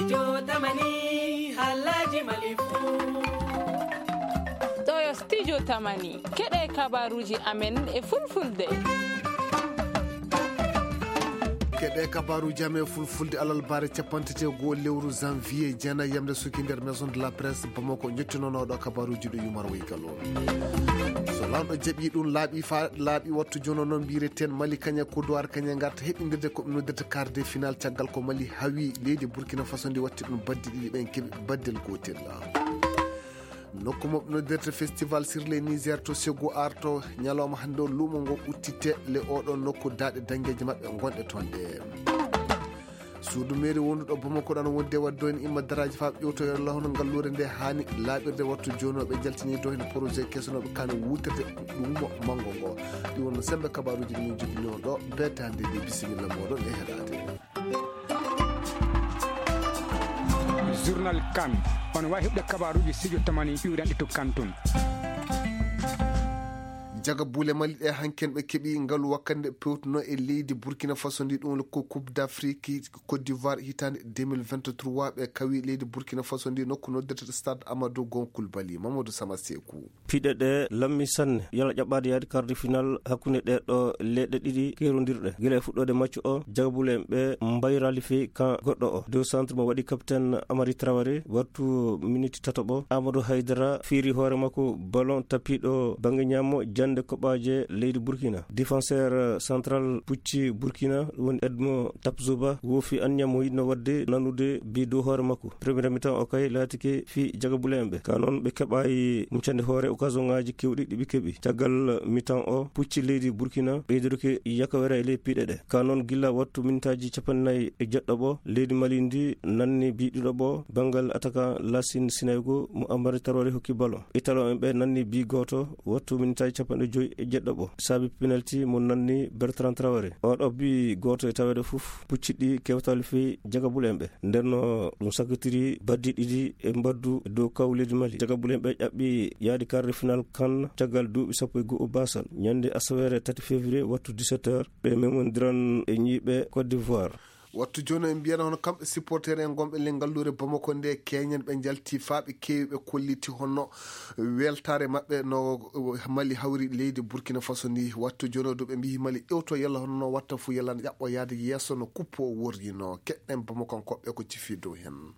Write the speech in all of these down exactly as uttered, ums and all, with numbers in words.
Studio Tamani, Halaji Malifu. Ɗo yo Studio Tamani, keɗe kabaruji amen e fulfulde. Keɗe kabaruji amen e fulfulde, alarba capanɗe jeego lewru janvier, jeenayi yamde suki nder Maison de la Presse Bamako, ñottinonoɗo kabaruji ɗo Yumar Waygal o. So lanɗo jaɓi ɗum, laaɓi fa laaɓi, wattu jono noon mbireten Mali kañe Kodowar kañe ngarta heɓindirde ko ɓe noddirta quart de finale, caggal ko Mali hawi leydi Burkina Faso ndi, watti ɗum baddi ɗiɗi, ɓen keɓi baddel gootel. Nokku mo ɓe noddirta Festival sur le Niger to Segu Arto, ñalawma hannde o luumo ngo uddite le oɗo nokku daaɗe dangeeje maɓɓe ngonɗe toon ɗe. Suudu meeri wonduɗo Bamako ɗan wonde wadde en imma daraaji faa ƴewtoyoo lahono ngalluure nde haani laaɓirde, wattu jooni o ɓe jaltini dow heen projet keso no ɓe kaani wuutirde ɗum manngo ngo. Ɗi wonno sembe kabaruuji ɗi min jogini on ɗo, beete hannde ɗi, bisimilla mooɗon e heɗaade. Journal Kan, on waawi heɓde kabaruuji studio Tamani iwranɗe to Kanton. Jaga bule Mali ɗe hanken ɓe keɓi ngalu wakkande pewtuno e leydi Burkina Faso ndi, ɗum ko Coupe d'Afrique Côte d'Ivoire hitande deux mille vingt-trois, ɓe kawi leydi Burkina Faso ndi nokku noddirta Stade Amadou Gon Coulibaly. Mamadou Sama Sekou. Piɗe ɗe lammi sanne, yala ƴaɓɓaade yaade quart de finale hakkunde ɗe ɗo leɗɗe ɗiɗi kerondirɗe. Gila e fuɗɗoode match o, jagabule en ɓe mbayraali fii kan goɗɗo o. Deux centre mo waɗi capitaine Amari Traoré, wattu miniti tataɓo. Amadou Haydara fiiri hoore makko ballon tapiɗo bannge ñaamo jannde koɓaaje leydi Burkina. Défenseur central pucci Burkina, woni Edmond Tapzuba, woofi anniya mo yiɗno waɗde nanude bi dow hoore makko. Premier mi-temps o kay laatike fii jagabule en ɓe. Ka noon ɓe keɓaayi muccande hoore occasion ŋaaji kewɗi ɗi ɓe keɓi. Caggal mi-temps o, pucci leydi Burkina ɓeydoruki yakawere e ley piɗe ɗe. Ka noon gilla wattu mintaaji capanɗe nayi e jeɗɗo ɓo, leydi Mali ndi nanni bi ɗiɗo ɓo, banngal attaquant Lassine Sinaygo mo Amari Traoré hokki ballon. Italo en ɓe nanni bi gooto, wattu minitaaji capanɗe joyi e jeɗɗo ɓo. Saabi penalty mo nanni Bertrand Traoré. Oɗo bi gooto e taweede fof pucciɗi kewtal fii jagabule en ɓe. Nden no ɗum sakkitiri baddi ɗiɗi e mbaddu dow kaw leydi Mali. Jagabule en ɓe ƴaɓɓi yaadi quart de finale kan caggal duuɓi sappo e go'o baasal. Ñande asaweere tati février wattu dix-sept heures, ɓe memondiran e ñiiɓe Côte d'Ivoire. Wattu jooni en mbiyana hono kamɓe supporter en gonɓe ley ngalluure Bamako nde keñen ɓe njalti faa ɓe keewi ɓe kolliti hono weltaare maɓɓe no Mali hawri leydi Burkina Faso ndi. Wattu jooni o du ɓe mbiyi Mali ƴewto yalla hono no watta fu yalla no ƴaɓɓo yaade yeeso no kuppo o worrino. Keɗɗen Bamakankoɓe ko cifi dow hen.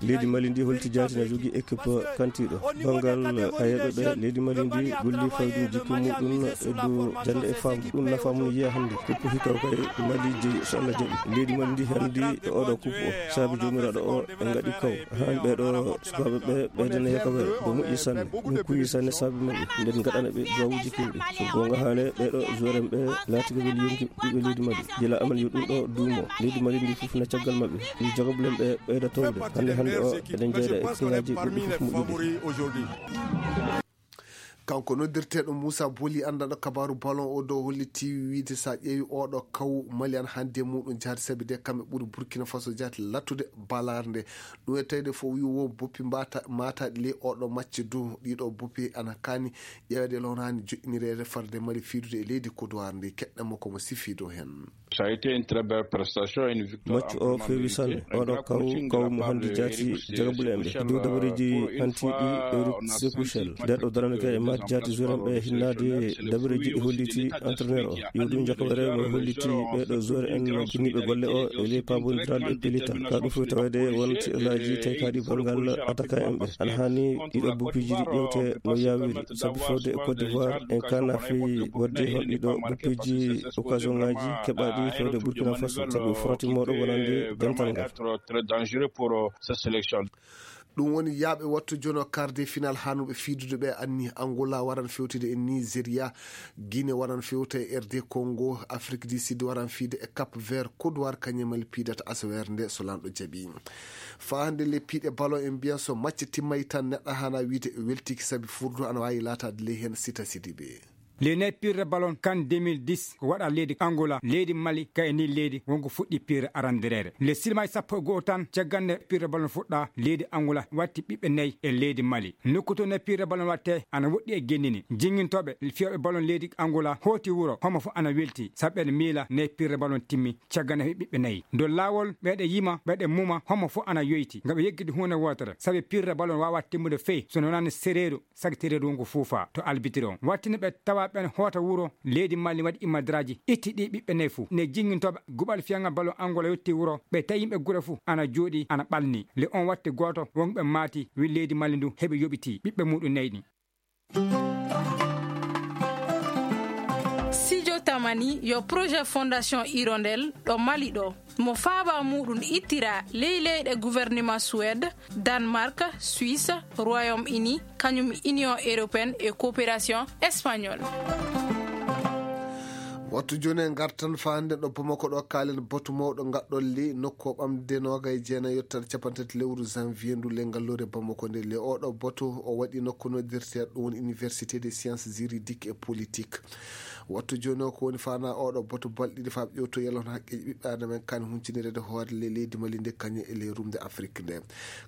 Leydi Mali ndi holti jaati na jogii équipe kantiiɗo. Banngal hayeeɓe ɓe, leydi Mali ndi golli faydu jikku muɗum e dow jannde e faamu. Ɗum nafa mum yiya hannde. Ko puhi taw kay Mali jeyi so Allah jaɓi. Leydi Mali ndi hannde e oɗo kuppo o. Saabi joomiraaɗo o e ngaɗi kaw. Haan ɓeɗo sukaaɓe ɓe ɓeydana yakawere. Ko moƴƴi sanne. Ɗum kuyi sanne saabi maɓɓe. Nden ngaɗana ɓe duwawuji kewɗi. So goonga haale ɓeɗo joueur en ɓe laatike weli yonki ɓiɓɓe leydi Mali. Gila amal yo ɗum ɗo duumo. Leydi Mali ndi fof na caggal maɓɓe. Ɗi jogoblen ɓe ɓeyda towde. Hannde hannde o eɗen jeyda e kiñaaji ɓurɗi fof moƴƴude. Kanko noddirteeɗo Moussa Boli, anndanɗo kabaaru ballon o dow, holliti wiide so a ƴeewi oɗo kaw Mali ana hannde muɗum jaati, sabi de kamɓe ɓuri Burkina Faso jaati lattude balaar nde. Ɗum e tawde fof wi wo boppi mbata-, mataɗi ley oɗo macce du, ɗiɗo boppi ana kaani ƴeeweede lonaani joƴƴinireede farde Mali fiidude e leydi Kodowar ndi. Keɗɗen mo ko mo sifi dow heen. Ça a été une très belle prestation, une victoire. Maccu o feewi sanne. Oɗo kaw, kaw mo hannde jaati jagabule en ɓe. Dow dabareeji hantiiɗi Eric Sekuchel. Nder ɗo darande kay e match jaati joueur en ɓe hinnaade dabareeji ɗi holliti entraîneur o. Yo ɗum jakobere mo holliti ɓeɗo joueur en kinniɓe golle o e ley pabondiral e pelita. Ka ɗum fof tawede won tiɗalaaji taykaɗi banngal attaquant en ɓe. Ana hani ɗiɗo bupiji ɗi ƴewte no yawiri. Sabi fewde e Côte d'Ivoire en kana fii wadde hol ɗiɗo bupiji occasion ngaji keɓaɗi fewde Burkina Faso. Sabi frottimooɗo wonande dental ngal. Très dangereux pour, euh, cette sélection. Ɗum woni yaaɓe wattu jono quart de finale hanuɓe fiidude ɓe anni. Angola waran fewtude e Nigeria, Guinée waran fewta e R D Congo, Afrique du Sud waran fiide e Cap Vert, Côte d'Ivoire kañum e Mali piidata asaweere nde so lanɗo jaɓi. Faa hannde le piiɗe ballon en mbiyan so macce timmay tan neɗɗo hana wiide weltiki sabi furdu ana waawi laataade ley heen Sita Sidibé. Le ne pirre ballon kan deux mille dix ko waɗa leydi Angola, leydi Mali, ka e ni leydi wonko fuɗɗi pirre arandireere. Le silmaji sappo e go'o tan caggal nde pirre ballon fuɗɗa, leydi Angola watti ɓiɓɓe nayi e leydi Mali. Nokku to ne pirre ballon watte ana woɗɗi e gennini. Jingintoɓe fiyooɓe ballon leydi Angola hooti wuro, homo fof ana welti, sabu ɓen miila ne pirre ballon timmi caggal nde ɓiɓɓe nayi. Ndo laawol ɓeɗe yima, ɓeɗe muma, homo fof ana yoyti. Ngam yeggude huunde wootere, sabu pirre ballon wawa timmude fey, so wonani sereeru, sagtireeru wonko fuufa to albitiri on. Wattino ɓe tawa ɓen hoota wuro, leydi Mali waɗi imadraji, itti ɗi ɓiɓɓe nayi fof. Ne jingintoɓe guɓal fiyangal ballon Angola yotti wuro, ɓe tawi yimɓe gure fof ana jooɗi, ana ɓalni. Le on watti gooto, wonɓe maati, wi leydi Mali ndu heɓi yoɓiti ɓiɓɓe muɗum nayi ɗi. Sijo Tamani yo projet Fondation Hirondelle ɗo Mali ɗo. Mo faaba muɗum ittira ley leyɗe gouvernement Suède, Danemark, Suisse, Royaume-Uni, kañum Union Européenne e Coopération Espagnole. Wattu jooni e ngartan faa hannde ɗo Bamako ɗo, kaalen batu mawɗo ngaɗɗolli nokku o ɓamde noogay jeenayi yettere capanɗe tati lewru janvier ndu, le ngalluure Bamako nde. Le oɗo batu o waɗi nokku noddirteeɗo ɗum woni Université des sciences juridiques et politiques. Wattu jooni o ko woni faana oɗo batu balɗiɗi faa ƴewto yalon haqqeeji ɓiɓɓe adama en kaani huncinireede hoore le leydi Mali nde kañum e le rumde Afrique nde.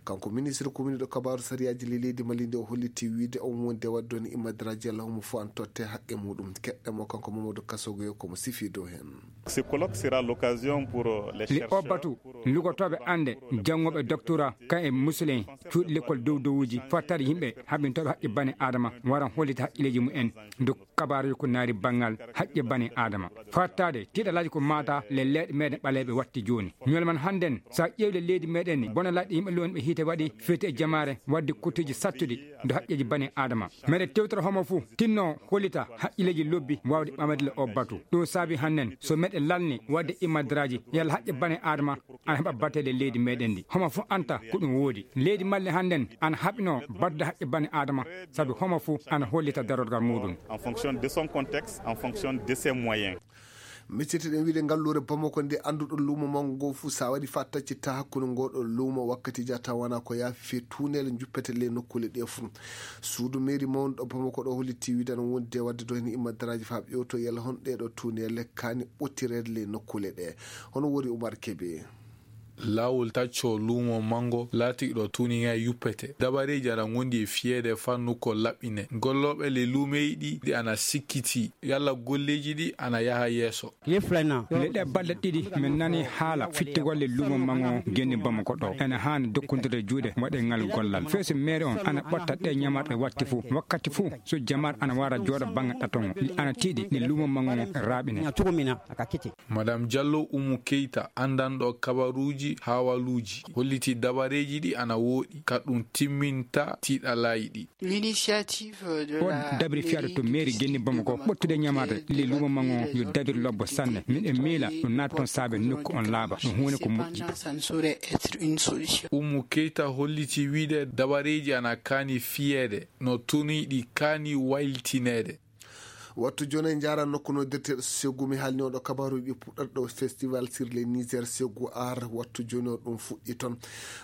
Kanko ministre komini ɗo kabaaru sariyaaji le leydi Mali nde o holliti wiide on wonde wadde on imadraji yalla homo fof an totte haqqe muɗum. Keɗɗe mo kanko Mamadou Kassogo yo komo sifi dow heen. Ce colloque sera l'occasion pour, euh, les Li o batu lugotooɓe annde, janngoɓe doctorat, kan e musulin, cuuɗi lekkol dow dowuji, fattade yimɓe haɓintooɓe haqqe bane adama, waran hollita haqqileeji mumen. Ndu kabaaruji ko naari banngal haqqe bane adama. Fattaade tiiɗalaaji ko maata le leeɗe meɗen ɓaleeɓe watti jooni. Ñool man hannden, so a ƴeewde leydi meɗen ni, bona laɗɗe yimɓe lowni ɓe hiite waɗi fewti e jamaare, wadde kuttuji sattuɗi, ndu haqqeeji bane adama. Meɗen tewtora homo fuu tinno hollita haqqilleeji lobbi waawde ɓamade le o batu. Ɗum saabi hannden, so meɗen lalni wadde imadraji, yalla haqqe bane adama ana heɓa batele leydi meɗen ndi. Homo fof anta ko ɗum woodi. Leydi Mali hannden ana haɓino battude haqqe bane adama, sabu homo fof ana hollita darorgal muɗum. En fonction de son contexte, en fonction de ses moyens. Miccete ɗen wiide ngalluure Bamako nde annduɗo luumo manngo ngo fuu, sa waɗi faa taccitta hakkunde ngoɗo luumo wakkati jata wona ko yaafi fee tuuneele juppete le nokkuule ɗe fuu. Suudu mairie mawnuɗo Bamako ɗo holliti wiide ana wondi e wadde ɗo heen imadraji faa ɓe ƴewto yalla hon ɗeɗo tuuneele kaani ɓottireede le nokkuule ɗe. Hono wori Umar Kebe. Laawol tacco luumo manngo laatiiɗo tuuninga yuppete. Dabareeji ana ngondi e fiyeede fannu ko laɓɓine. Gollooɓe le luumeyɗi ɗi ana sikkiti yalla golleeji ɗi ana yaha yeeso. Leɗɗe balɗe ɗiɗi min nani haala fittugol le luumo manngo genni Bamako ɗo. Ene haani dokkondirde juuɗe waɗe ngal gollal. Feeso meere on ana ɓotta ɗe ñamarɗe watti fuu. Wakkati fuu so jamaat ana wara jooɗo bannge ɗatongo. Ana tiiɗi ne luumo manngo raaɓine. Madame Diallo Umu Keita, anndanɗo kabaruuji haawaluuji, holliti dabareeji ɗi ana wooɗi, ka ɗum timminta tiiɗalaayi ɗi. L'initiative de o la dabri fiyaaɗo to mairie genni Bamako ɓottude ñamaade le luumo manngo yo dabir lobbo sanne. Min e miila ɗum naata toon saabe nokku on laaɓa, ɗum huunde ko moƴƴi. Ça ne saurait être une solution. Umu Keita holliti wiide dabareeji ana kaani fiyeede no tuniiɗi kaani wayltineede. Wattu jooni en njaara nokku noddirteeɗo Segu, mi haalni oɗo kabaaruuji puɗɗorɗo festival sur le Niger Segu Art. Wattu jooni o ɗum fuɗɗi toon.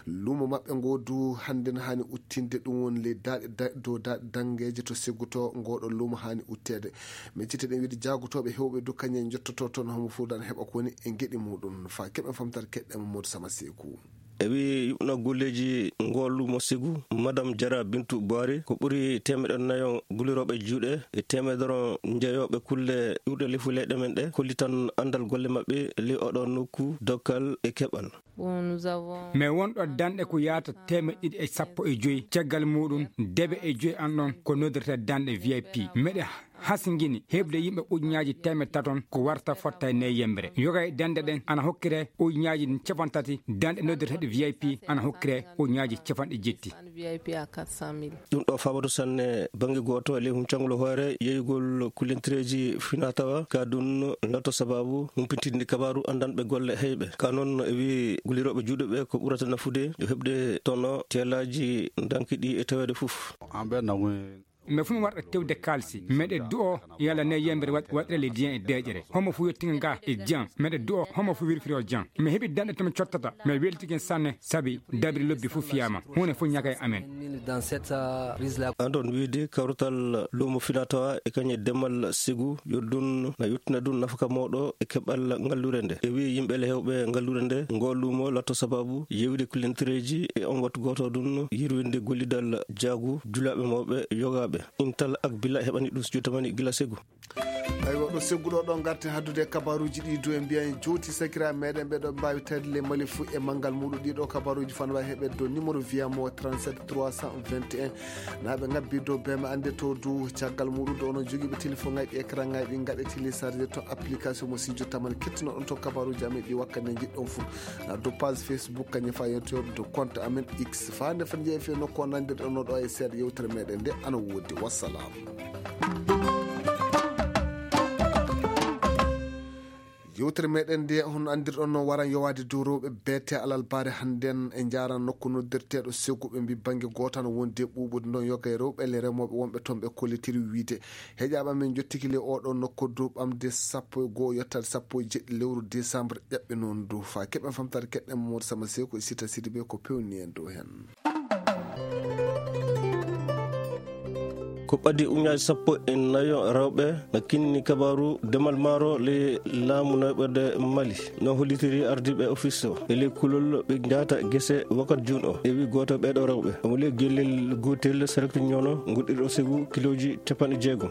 Luumo maɓɓe ngo du hannden haani uttinde ɗum woni le daaɗe da- dow daaɗe danngeeje to Segu to ngoɗo luumo haani utteede. Min citte ɗen wiide jaagotooɓe heewɓe du kañum en njottoto toon homo fuudan heɓa ko woni e geɗi muɗum. Faa keɓen famtare keɗɗen Mamadou Sama Seku. E wi yuɓna golleeji ngoolu mo Segu, Madame Jara Bintu Boari, ko ɓuri teemeɗe nayo gulirooɓe juuɗe e teemedoro njeyooɓe kulle ƴuurɗe lefu leyɗe men ɗe, kollitan anndal golle maɓɓe ley oɗo nokku, dokkal e keɓal. Bon, nous avons mais wonɗo danɗe ko yaata teemeɗe ɗiɗi e sappo e joyi, caggal muɗum debe e joyi an ɗon ko noddirta danɗe V I P. Meɗe hasngini heɓde yimɓe ujunnaaji teemeɗe taton ko warta fotta e ney yembre. Yoga e dande ɗen ana hokkire ujunnaaji capantati, dande noddirteɗe V I P ana hokkire ujunnaaji capanɗe jetti. V I P à quatre cent mille. Ɗum ɗo fabatu sanne bannge gooto e ley huncangol hoore yeyugol kullintireeji finatawa ka ɗum lato sababu humpitinde kabaaru anndanɓe golle heyɓe. Ka noon e wi gulirooɓe juuɗe ɓe ko ɓurata nafude yo heɓde tono teelaaji danki ɗi e taweede fof. En ɓe nawi Mbe fu mi warɗa tewde kaalisi. Meɗe du'o yalla ne yembere waɗ-, waɗre le diyan e deƴere. Homo fu yottinga nga e jan. Meɗe du'o homo fu wirfiro jan. Mi heɓi danɗe to mi cottata. Mi weltigen sanne sabi dabri lobbi fu fiyama. Hune fu ñaka e amen. Dans cette, euh, prise-là. Andon wiide kawrital lumo finatawa e kañe demal sigu yo ɗun na yottina ɗun nafaka moɗo e keɓal ngallure nde. E wi yimɓe le hewɓe ngallure nde, ngo lumo latto sababu yewde kulentereji e on wattu goto ɗun yirwinde gollidal jaagu julaɓe mawɓe yogaɓe. Intal ak bila heɓani ɗum studio tamani gila segu. Aywa, ɗo segguɗo ɗo garten haddude e kabaruuji ɗi dow en mbiya en jowti sakira meɗen ɓe ɗo mbawi tawde le Mali fu e mangal muɗum. Ɗiɗo kabaruuji fan wawi heɓe dow numéro viyamo trente-sept trois cent vingt et un. Naɓe ngabbi dow bema ande to du caggal muɗum ɗo onon jogiiɓe téléphone ngaji écran ngaji ɗi gaɗe téléchargé to application mo studio tamani kettinoɗon to kabaruuji amen ɗi wakkati nde jiɗɗon fu. Na dow page Facebook kañum fa yontoɗo dow compte amen X fa nde fen jeeyi fe nokku o nandirɗon no ɗo e seeɗa yewtere meɗen nde ana wodi. Wassalam. Yewtere meɗen nde, hono anndirɗon, no waran yowaade dow rewɓe beete alalbaare hannden e njaaran nokku noddirteeɗo Segu. Ɓe mbi bannge gooto ana wondi e ɓuuɓude ndon yoga e rewɓe le remooɓe wonɓe toon ɓe kollitiri wiide. Heƴaaɓe amen njottiki le oɗo nokku dow ɓamde sappo e goo yottaade sappo e jeɗɗi lewru décembre ƴaɓɓe noon dow faa keɓen famtaade keɗɗen Mamadou Sama Seko e Sita Sidibe ko pewni en dow heen. Ko ɓadi uñaaji sappo e nayo rewɓe na kinni kabaaru demal maaro ley laamu nayoɓerde Mali. No hollitiri ardiiɓe ofis o e ley kulol ɓe njaata gese wakkati juun o. E wi gooto ɓeeɗo rewɓe omo ley gellel gootel sarakti ñoono ngoɗɗirɗo Segu kilooji capanɗe jeegom.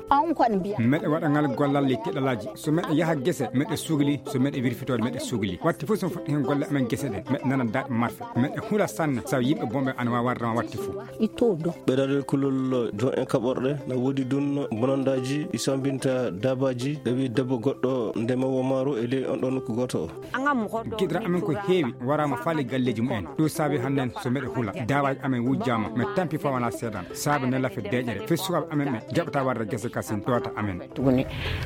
Meɗe waɗa ngal gollal ley keɗalaaji. So meɗe yaha gese, meɗe sugli. So meɗe wirfitoode, meɗe sugli. Watti fof so mi fuɗɗi heen golle amen gese ɗe, meɗe nana daɗe marfe. Meɗe hula sanne, sabu yimɓe bonɓe ana waawi warde ma watti fof. Ɓe daɗe kulol jon en kaɓorɗe, na woodi ɗun bonandaaji ɗi sambinta daabaaji. Ɓe wi debbo goɗɗo ndemowo maaro e ley on ɗon nokku gooto o. Gidra amen ko heewi waraama faale galleeji mumen. Ɗum saabi hannden so meɗe hula, daabaaji amen wujjaama, meɗe tampi faa wonaa seeɗan. Saabe ne lafe deeƴere, fii sukaaɓe amen ɓe jaɓata warde gese kasin ɗoota amen.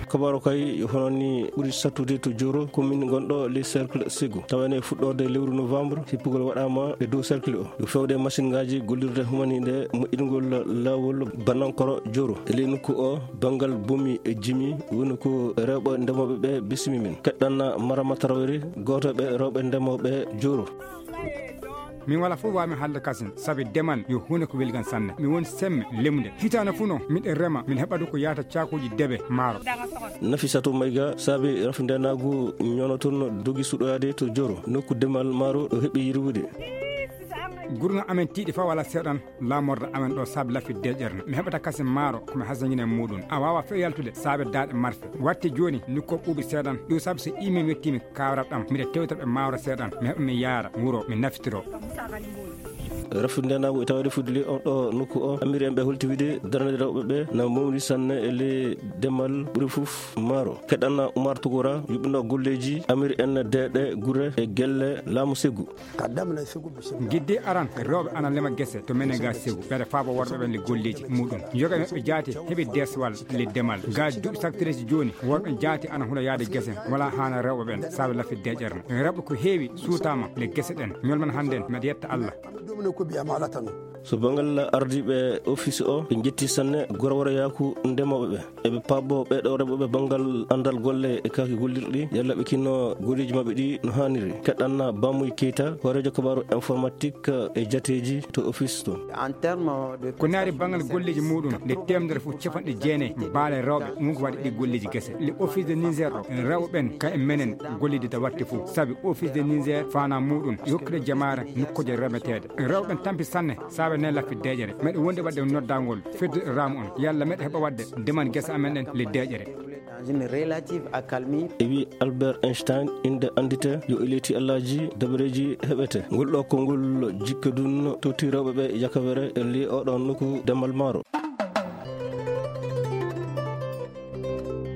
Kabaro kay hono ni ɓuri sattude to Joro, commune gonɗo ley cercle Segu. Tawa ene fuɗɗorde lewru novembre, hippugol waɗaama e dow cercle o. Yo fewde machine ngaji gollirde humaniinde moƴƴingol laawol Banankoro Joro. E ley nokku o, banngal bomi e jimi woni ko rewɓe ndemooɓe ɓe bismi min. Keɗɗanna Marama Tarawere, gooto ɓe rewɓe ndemooɓe Joro. Min wala fof waami haalde kasin, sabi demal yo huunde ko welgan sanne. Mi woni semme lemde. Hitaande fuu noon, miɗen rema, min heɓa ɗum ko yaata caakuuji debe maaro. Nafisatu Mayga saabi rafindeenaagu ñonoton dogi suɗoyaade to Joro, nokku demal maaro ɗo heɓi yirwude. Gurŋa amen tiiɗi faa wala seeɗan laamorde amen ɗo saabi lafi deeƴere. Mi heɓata kasin maaro ko mi hasangina e muuɗum. A waawa few yaltude saabe daaɗe marfe. Watti jooni, nokku o ɓuuɓi seeɗan. Ɗum saabi so imin wettiimi kawral ɗam, miɗa tewta ɓe maaro seeɗan, mi heɓa mi yaara wuro, mi naftiro. Rafi ndenaagu e tawde fudde on ɗo nokku o, amiri en ɓe holti wiide darnde rewɓe ɓe na mawni sanne e ley demal ɓuri fof maaro. Keɗanna Umar Tugura, yuɓɓino golleeji amiri en deeɗe gure e gelle laamu Segu. Gidde aran, rewɓe ana lema gese to menen ga Segu. Ɓeɗe faabo worɓe ɓen le golleeji muɗum. Yoga maɓɓe jaati heɓi deswal le demal. Ga duuɓi saktireeji jooni, worɓe jaati ana hula yaade gese, wala haana rewɓe ɓen, saabe lafi deeƴere. Rewɓe ko heewi suutaama le gese ɗen. Ñolman hannden, meɗe yetta Allah. So banngal ardiiɓe ofis o, ɓe njetti sanne gorworayaaku ndemooɓe ɓe. Eɓe paabo ɓeɗo rewɓe ɓe banngal anndal golle e kaaki gollirɗi, yalla ɓe kinno golleeji maɓɓe ɗi no haaniri. Keɗanna Bamuy Keita, hooreejo kabaaru informatique e jateeji to ofis to. Ko naari banngal golleeji muɗum, nde teemedere fof capanɗe jeenayi baale rewɓe won ko waɗi ɗi golleeji gese. Le office de Niger ɗo, rewɓe ɓen ka e menen gollidita watte fof. Sabi office de Niger faana muɗum, yokkude jamaare nokkuuje remeteeɗe. Rewɓe ɓen tampi sanne, saabe ne laffi deeƴere. Meɗe wondi waɗde noddangol fedde raamu on. Yalla meɗe heɓa waɗde demal gese amen ɗen le deeƴere. Dans une relative accalmie. E wi Albert Einstein, innde anndite yo e leyti Allaaji dabareeji heɓete. Ngol ɗo konngol jikke dun towti rewɓe ɓe yakawere e li oɗon nokku demal maaro.